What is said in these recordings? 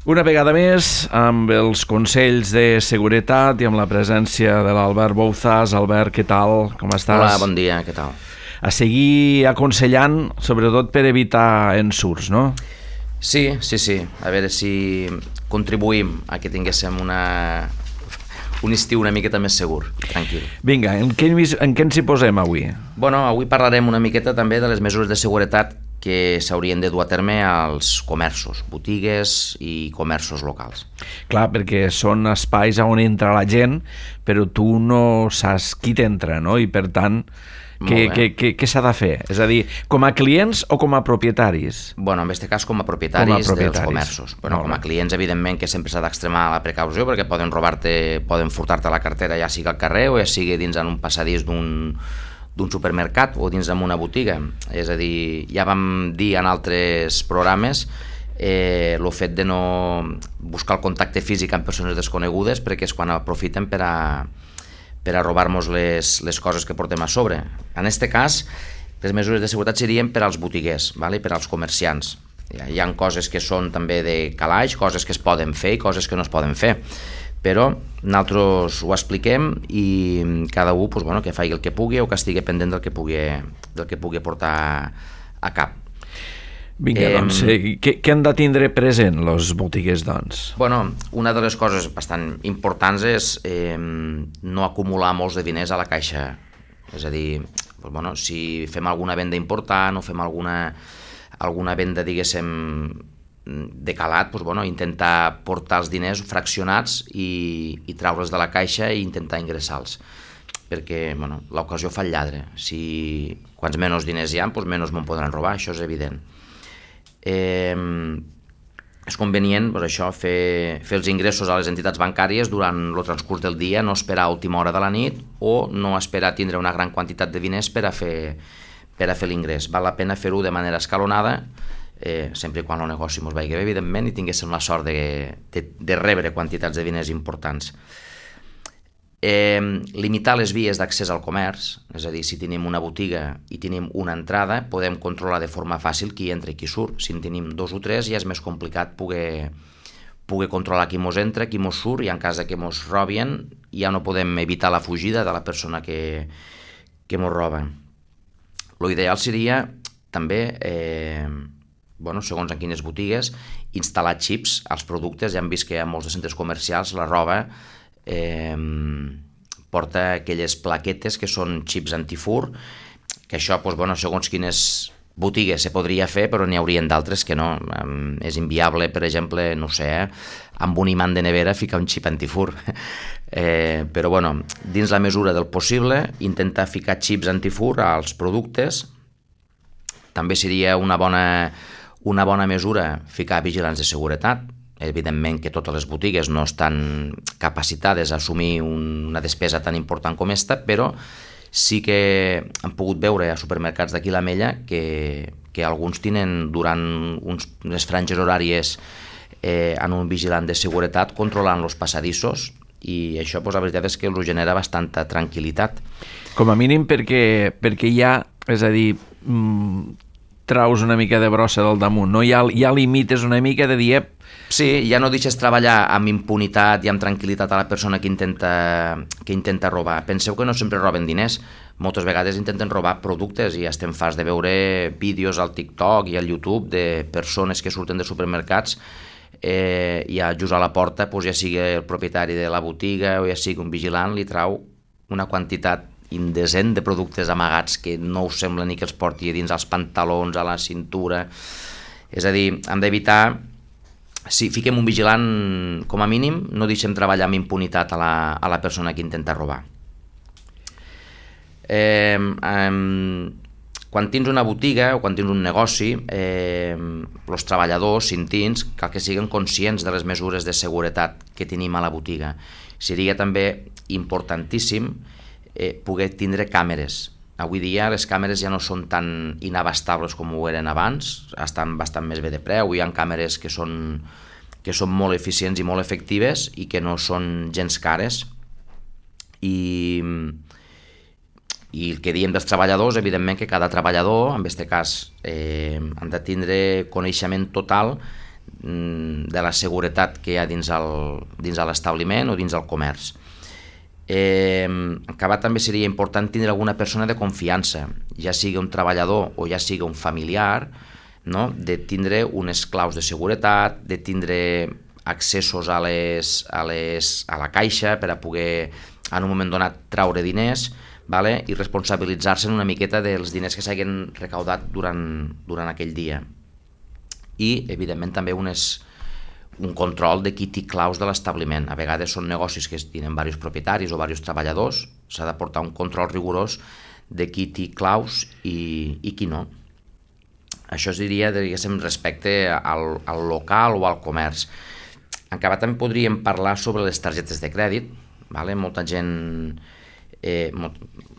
Una vegada més, amb els consells de seguretat i amb la presència de l'Albert Bouzas. Albert, què tal? Com estàs? Hola, bon dia, què tal? A seguir aconsellant, sobretot per evitar ensurts, no? Sí. A veure si contribuïm a que tinguéssim un estiu una miqueta més segur, tranquil. Vinga, en què ens hi posem avui? Bueno, avui parlarem una miqueta també de les mesures de seguretat que s'haurien de dur a terme als comerços, botigues i comerços locals. Clar, perquè són espais on entra la gent, però tu no saps qui t'entra, no? I per tant, què s'ha de fer? És a dir, com a clients o com a propietaris? Bueno, en aquest cas com a propietaris dels comerços. Bueno, com a clients, evidentment, que sempre s'ha d'extremar la precaució perquè poden furtar-te la cartera ja sigui al carrer o ja sigui dins en un passadís d'un supermercat o dins d'una botiga. És a dir, ja vam dir en altres programes el fet de no buscar el contacte físic amb persones desconegudes, perquè és quan aprofiten per a robar-nos les coses que portem a sobre. En aquest cas, les mesures de seguretat serien per als botiguers, per als comerciants. Hi ha coses que són també de calaix, coses que es poden fer i coses que no es poden fer, però nosaltres ho expliquem i cada un que faci el que pugui o que estigui pendent del que pugui portar a cap. Vinga, doncs, què han de tindre present els botiguers, doncs? Bueno, una de les coses bastant importants és no acumular molts de diners a la caixa. És a dir, si fem alguna venda important o fem alguna venda, diguéssim, de calat, intentar portar els diners fraccionats i treure'ls de la caixa i intentar ingressar-los, perquè l'ocasió fa el lladre. Si quants menys diners hi ha, menys me'n podran robar, això és evident. És convenient fer els ingressos a les entitats bancàries durant el transcurs del dia, no esperar a última hora de la nit o no esperar a tindre una gran quantitat de diners per a fer l'ingrés. Val la pena fer-ho de manera escalonada, sempre i quan el negoci ens vagi bé, evidentment, i tinguéssim la sort de rebre quantitats de diners importants. Limitar les vies d'accés al comerç, és a dir, si tenim una botiga i tenim una entrada, podem controlar de forma fàcil qui entra i qui surt. Si en tenim dos o tres ja és més complicat poder controlar qui mos entra, qui mos surt, i en cas que mos robin ja no podem evitar la fugida de la persona que mos roba. L'ideal seria també, segons en quines botigues, instal·lar xips als productes. Ja hem vist que a molts centres comercials la roba porta aquelles plaquetes que són xips antifur, que això, segons quines botigues se podria fer, però n'hi haurien d'altres que no. És inviable, per exemple, no sé, amb un imant de nevera ficar un xip antifur. Però, dins la mesura del possible, intentar ficar xips antifur als productes. També seria una bona mesura ficar vigilants de seguretat. Evidentment que totes les botigues no estan capacitades a assumir una despesa tan important com esta, però sí que hem pogut veure a supermercats d'aquí l'Ametlla que alguns tenen durant unes franges horàries en un vigilant de seguretat controlant els passadissos, i això la veritat és que us genera bastanta tranquil·litat. Com a mínim perquè hi ha, és a dir, traus una mica de brossa del damunt, no? Ja limites una mica de dir... Sí, ja no deixes treballar amb impunitat i amb tranquil·litat a la persona que intenta robar. Penseu que no sempre roben diners, moltes vegades intenten robar productes, i estem farts de veure vídeos al TikTok i al YouTube de persones que surten de supermercats i just a la porta, ja sigui el propietari de la botiga o ja sigui un vigilant, li trau una quantitat indecent de productes amagats que no us sembla ni que els porti dins els pantalons, a la cintura. És a dir, hem d'evitar... Si fiquem un vigilant, com a mínim, no deixem treballar amb impunitat a la persona que intenta robar. Quan tens una botiga o quan tens un negoci, els treballadors, cintins, cal que siguin conscients de les mesures de seguretat que tenim a la botiga. Seria també importantíssim poder tindre càmeres. Avui dia les càmeres ja no són tan inabastables com ho eren abans, estan bastant més bé de preu, hi ha càmeres que són molt eficients i molt efectives i que no són gens cares. I el que diem dels treballadors, evidentment que cada treballador, en aquest cas, han de tindre coneixement total de la seguretat que hi ha dins l'establiment o dins el comerç. En acabat també seria important tindre alguna persona de confiança, ja sigui un treballador o ja sigui un familiar, no? De tindre unes claus de seguretat, de tindre accessos a la caixa per a poder en un moment donat traure diners, vale? I responsabilitzar-se una miqueta dels diners que s'hagin recaudat durant aquell dia. I evidentment també un control de qui té claus de l'establiment. A vegades són negocis que tenen diversos propietaris o diversos treballadors, s'ha de portar un control rigorós de qui té claus i qui no. Això es diria, diguéssim, respecte al local o al comerç. En acabat també podríem parlar sobre les targetes de crèdit, vale? Molta gent,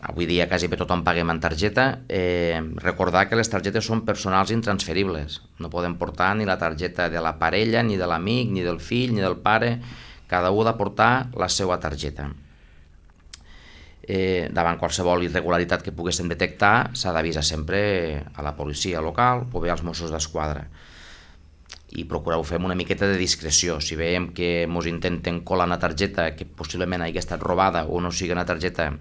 avui dia quasi bé tothom paguem en targeta. Recordar que les targetes són personals intransferibles, no podem portar ni la targeta de la parella, ni de l'amic, ni del fill, ni del pare, cada un ha de portar la seva targeta. Davant qualsevol irregularitat que poguéssim detectar s'ha d'avisar sempre a la policia local o bé als Mossos d'Esquadra i procureu fer una miqueta de discreció. Si veiem que ens intenten colar una targeta que possiblement hagi estat robada o no sigui una targeta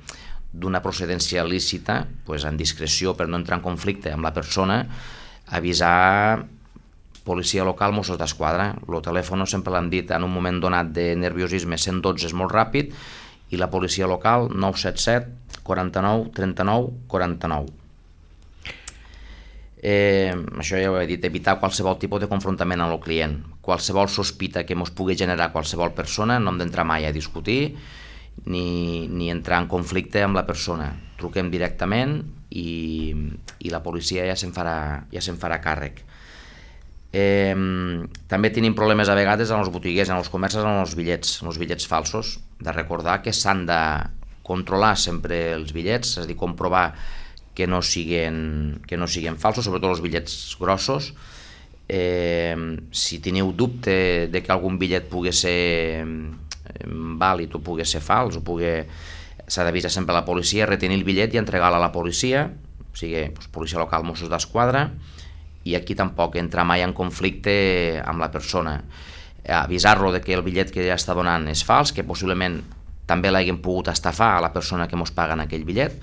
d'una procedència lícita, doncs en discreció, per no entrar en conflicte amb la persona, avisar policia local, Mossos d'Esquadra. El telèfon sempre l'han dit en un moment donat de nerviosisme, 112 és molt ràpid, i la policia local 977 49 39 49. Això ja ho he dit, evitar qualsevol tipus de confrontament amb el client. Qualsevol sospita que ens pugui generar qualsevol persona, no hem d'entrar mai a discutir ni entrar en conflicte amb la persona. Truquem directament i la policia ja se'n farà càrrec. També tenim problemes a vegades en els botiguers, en els comerços, en els bitllets falsos. De recordar que s'han de controlar sempre els bitllets, és a dir, comprovar que no siguin falsos, sobretot els bitllets grossos. Si teniu dubte de que algun bitllet pugui ser vàlid o pugui ser fals, s'ha d'avisar sempre a la policia, retenir el bitllet i entregar-lo a la policia, o sigui, policia local, Mossos d'Esquadra, i aquí tampoc entra mai en conflicte amb la persona. Avisar-lo de que el bitllet que ja està donant és fals, que possiblement també l'hagin pogut estafar a la persona que ens paga aquell bitllet,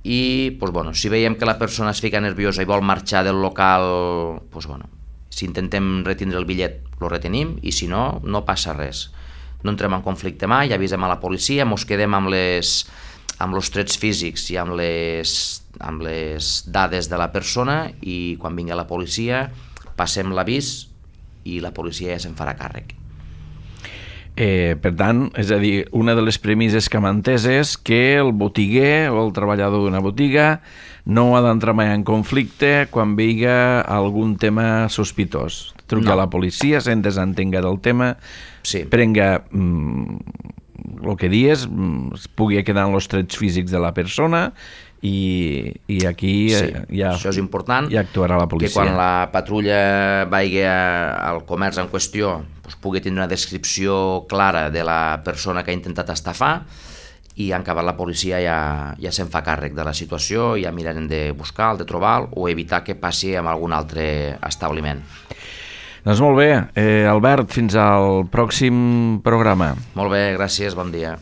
i si veiem que la persona es fica nerviosa i vol marxar del local, si intentem retindre el bitllet, lo retenim, i si no, no passa res. No entrem en conflicte mai, avisem a la policia, ens quedem amb els trets físics i amb les dades de la persona, i quan vingui la policia passem l'avís i la policia ja se'n farà càrrec. Per tant, és a dir, una de les premisses que m'ha entès és que el botiguer o el treballador d'una botiga no ha d'entrar mai en conflicte quan vegi algun tema sospitós. Truqui a la policia, se'n desentenga del tema, prenga el que dius, es pugui quedar en els trets físics de la persona i aquí això és important, ja actuarà la policia. Que quan la patrulla vagi al comerç en qüestió pugui tenir una descripció clara de la persona que ha intentat estafar, i en acabat la policia ja se'n fa càrrec de la situació, ja mirarem de buscar, de trobar o evitar que passi amb algun altre establiment. Doncs molt bé, Albert, fins al pròxim programa. Molt bé, gràcies, bon dia.